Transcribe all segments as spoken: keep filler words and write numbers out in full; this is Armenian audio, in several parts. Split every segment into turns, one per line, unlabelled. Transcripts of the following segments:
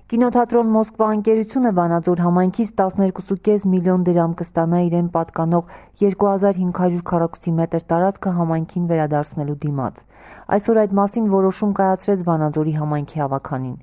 Կինոթատրոն «Մոսկվա» ընկերությունը Վանաձոր համայնքից տասներկու կόμma պենս միլիոն դրամ կստանա իրեն պատկանող երկու հազար հինգ հարյուր քառակուսի մետր տարածքը համայնքին վերադարձնելու դիմաց։ Այսօր այդ մասին որոշում կայացրեց Վանաձորի համայնքի հավաքանին։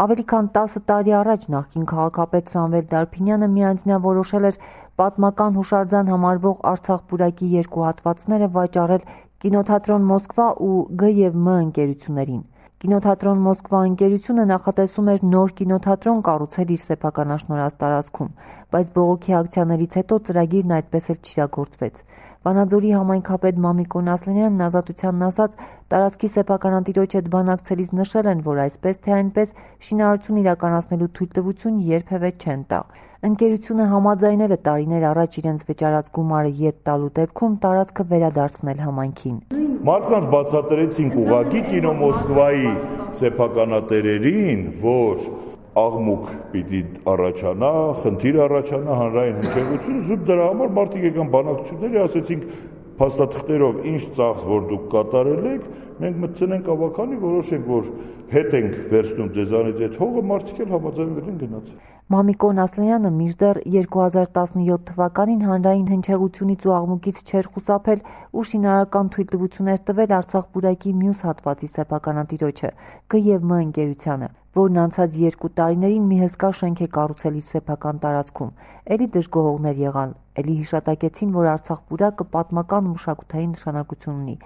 Ավելի քան տասը տարի առաջ նախկին քաղաքապետ Սամվել Դարփինյանը միանձնյա որոշել էր պատմական հուշարձան համարվող Արցախ պուրակի երկու հատվածները վաճառել կինոթատրոն «Մոսկվա» ու Գ և Մ ընկերություններին։ Կինոթատրոն «Մոսկվա» ընկերությունը նախատեսում էր նոր կինոթատրոն կառուցել իր սեփականաշնորհած տարածքում, բայց բողոքի ակցիաներից հետո ծրագիրն այդպես էլ չիրագործվեց։ Վանաձորի համայնքապետ Մամիկոն Ասլանյանն Ազատությանն ասաց, տարածքի սեփականատիրոջ հետ բանակցելիս նշել են, որ այսպես թե այնպես շինարարություն իրականացնելու թույլտվություն երբևէ չեն տա։ Ընկերությունը համաձայնել է տարիներ առաջ իրենց վճարած գումարը ետ տալու դեպքում տարածքը վերադարձնել համայնքին։
Մարդկանց բացատրեցինք ուղղակի կինո «Մոսկվայի» սեփականատերերին, որ աղմուկ պիտի առաջանա, խնդիր առաջանա, հանրային հնչեղություն, զուտ դրա համար մարդիկ եկան բանակցությունների, ասեցինք փաստաթղթերով ինչ ծախս որ դուք կատարել եք, մենք մտցնենք ավականի, որոշենք, որ հետ ենք վերցնում ձեզանից այդ հողը, մարդիկ էլ համաձայնվել են գնացել։
Մամիկոն Ասլանյանը մինչդեռ երկու հազար տասնյոթ թվականին հանրային հնչեղությունից ու աղմուկից չէր խուսափել ու շինարարական թույլտվություններ տվել Արցախ պուրակի մյուս հատվածի սեփականատիրոջը՝ Գ և Մ ընկերությանը, որն անցած երկու տարիներին մի հսկա շենք է կառուցել իր սեփական տարածքում։ Էլի դժգոհողներ եղան, էլի հիշատակեցին, որ Արցախ պուրակը պատմական ու մշակութային նշանակություն ունի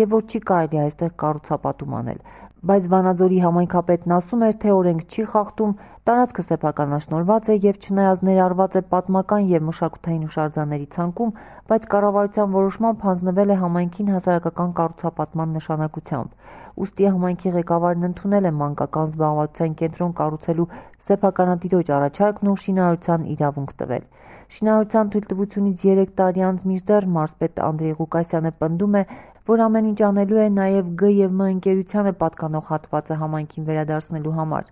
և որ չի կարելի այստեղ կառուցապատում անել։ Բայց Վանաձորի համայնքապետն ասում էր, թե օրենք չի խախտում, տարածքը սեփականաշնորհված է և չնայած ներառված է պատմական և մշակութային հուշարձանների ցանկում, բայց կառավարության որոշմամբ հանձնվել է համայնքին հասարակական կառուցապատման նշանակությամբ։ Ուստի համայնքի ղեկավարն ընդունել է մանկական զբաղվածության կենտրոն կառուցելու սեփականատիրոջ առաջարկն ու շինարարության իրավունք տվել։ Շինարարության թույլտվությունից երեք տարի անց մինչդեռ մարզպետ Անդրեյ Ղուկասյանը պնդում է, որ ամեն ինչ անելու է նաև Գ և Մ ընկերությանը պատկանող հատվածը համայնքին վերադարձնելու համար։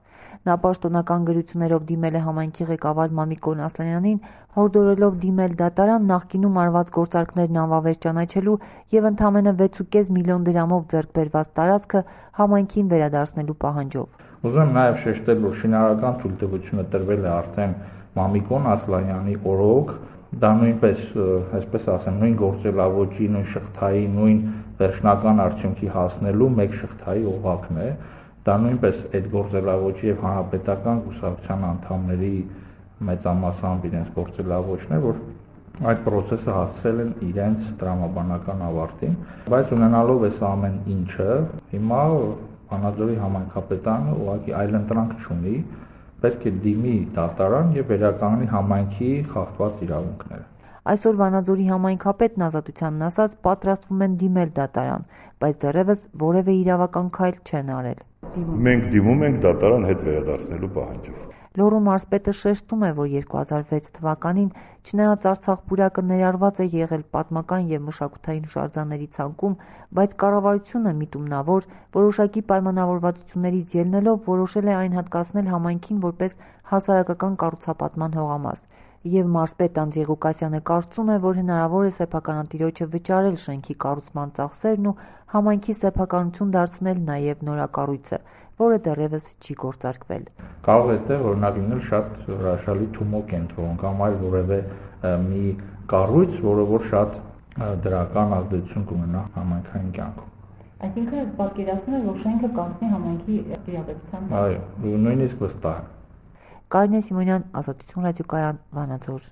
Նա պաշտոնական գրություններով դիմել է համայնքի ղեկավար Մամիկոն Ասլանյանին, հորդորելով դիմել դատարան նախկինում արված գործարքներն անվավեր ճանաչելու և ընդամենը վեց կόμma պենս միլիոն դրամով ձեռք բերված տարածքը համայնքին վերադարձնելու պահանջով։
Ուզում եմ նաև շեշտել, որ շինարարական թույլտվությունը տրվել է արդեն Մամիկոն Ասլանյանի օրոք, դա նույնպես, այսպես ասեմ, նույն գործելավոճի, նույն շղթայի, նույն վերջնական արդյունքի հասնելու մեկ շղթայի օղակն է։ Դա նույնպես այդ գործելավոճի եւ հանրապետական կուսակցության անդամների մեծամասամբ իրենց գործելավոճն է, որ այդ process-ը հասցրել են իրենց տրամաբանական ավարտին, բայց ունենալով այս ամեն ինչը, հիմա Վանաձորի համայնքապետարանը ուղղակի այլընտրանք չունի, պետք է դիմի դատարան եւ վերականգնի համայնքի խախտված իրավունքները։
Այսօր Վանաձորի համայնքապետն Ազատությանն ասաց, պատրաստվում են դիմել դատարան, բայց դեռևս որևէ իրավական քայլ չեն արել։
Մենք դիմում ենք դատարան հետ վերադարձնելու պահանջով։
Լոռու մարզպետը շեշտում է, որ երկու հազար վեց թվականին, չնայած Արցախ պուրակը ներառված է եղել պատմական և մշակութային հուշարձանների ցանկում, բայց կառավարությունը միտումնավոր, որոշակի պայմանավորվածություններից ելնելով որոշել է այն հատկացնել համայնքին որպես հասարակական կառուցապատման հողամաս։ Եվ մարզպետ Անդրեյ Ղուկասյանը կարծում է, որ հնարավոր է սեփականատիրոջը վճարել շենքի կառուցման ծախսերն ու համայնքի սեփականություն դարձնել նաև նորակառույցը, որը դեռևս չի գործարկվել։
Կարող է այդտեղ օրինակ լինել շատ հրաշալի Թումո կենտրոն կամ այլ որևէ մի կառույց, որը որ շատ դրական ազդեցություն կունենա համայնքային կյանքում։
Այսինքն պատկերացնում է, որ շենքը կանցնի համայնքի տիրապետության։
Այո, նույնիսկ վստահ եմ։
Կարինե Սիմոնյան, Ազատություն ռադիոկայան, Վանաձոր։